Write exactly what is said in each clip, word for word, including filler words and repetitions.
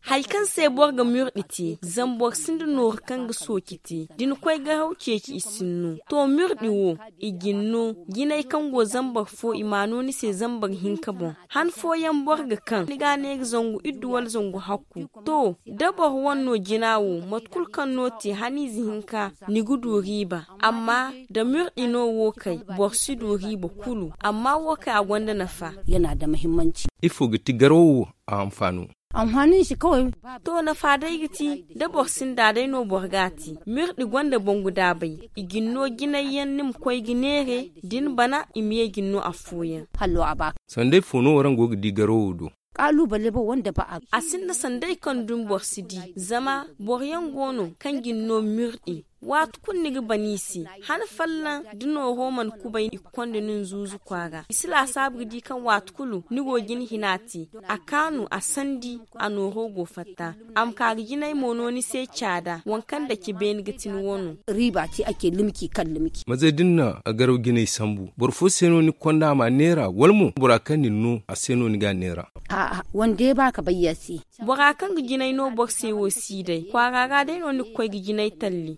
Hari kaŋ se boro ga mirɗi te, zama boro sinda nooru kaŋ ga sooci te. Da ni koy garaw ceeci i sinno to mirɗi wo, i ga ni no. Jinay kaŋ go zambar fo i m'a no ni se zambar hinka boŋ. Han fooyaŋ boro ga kaŋ ni ga a neera zangu iddu wala zangu hakku. To, da boro wane no jina wo mate kulu kaŋ no te haniize hinka, ni ga du riiba. Amma da mirɗi no wo kay, boro si du riiba kulu. Amma wo kay a gonda nafa. Ifo ga ti garawo wo? A hanfaano. To nafa day ga ti, da boro sinda day no boro ga a te. Mirɗi gonda bangu daabay, i ga ni no jinay yaŋ ni ma koy ga neere. Da ni bana i ma ye ga ni no affooyaŋ. Sanday fo no waraŋ go ga di garawo do? A sinda sanday kaŋ dumi boro si di. Zama boro yaŋ go no kaŋ ga ni no mirɗi. Waati kulu ni ga ban i se. Han folloŋ da nooro mana kubay i ga konda nin zuuzu kwaara i si laasaabu ga di kaŋ waati kulu ni go ga ni hina te. A kaanu a sandi, a nooro go fatta. A ma ka ga jinay mo no ni se caada waŋ kaŋ dace beene ga ti ni wano. Mazey da ni na garaw jinay sambu, boro fo se no ni ga konda a m'a neera wala mo bora kaŋ na ni no a se no ni ga a neera? Bora kaŋ ga jinay no boro se wo si day kwaara ra day no ni ga koy ga jinay talli.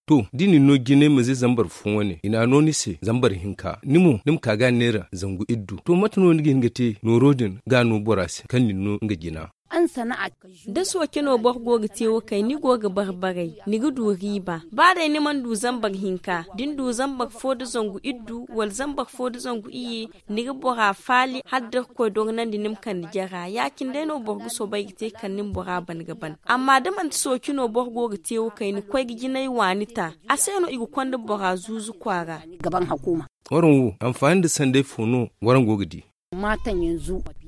To, da i na ni no jinay maze zambar fo wane i n'a no ni se zambar hinka ni mo ni ma ka ga a neera zangu iddu to mate no ni ga hin ga te nooro din ga a no bora se kaŋ na ni no nga jina? Da sooce no boro go ga te wo kay ni go ga barbaray, ni ga du riiba. Ba day ni mana du zambar hinka da ni du zambar fo nda zangu iddu wala zambar fo nda zangu iyye, ni ga bora faali hala da irkoy dornandi ni ma kande jara ya- cine day no boro ga soobay ga te kala ni ma bora ban ga ban. Amma da manti sooci no boro go ga te wo kayna koy ga jinay waani ta, a se no i ga konda bora zuuzu kwaara. Waraŋ wo anfaani nda sanday fo no waraŋ go ga di?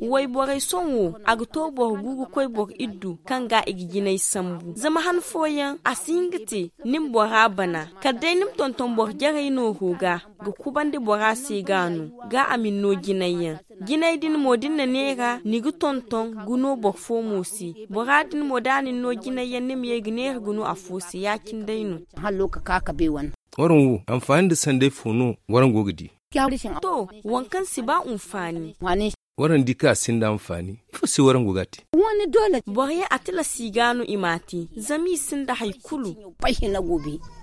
Wayborey sohõ wo, a ga to boro gu ga koy boro iddu kaŋ ga i ga jinay sambu zama han fooyaŋ a si hin ga te ni ma bora bana, kala day ni ma tonton boro jarey nooro ga ga kubandi bora se ga no ga a ma ni no jinay yaŋ. Jinay din mo da ni na neera ni ga tonton ga no boro fo mo se. Bora din mo da a na ni no jinay yaŋ ni ma ye ga neera ga no afo se ya- cine day no. Waraŋ wo anfaani nda sanday fo no waraŋ go ga di? To, waŋ kaŋ si ba anfaani. Waraŋ di kaŋ a sinda anfaani, ifo se waraŋ go ga a te? Boro yaŋ a tilas i ga no i m'a te zama i sinda hari kulu.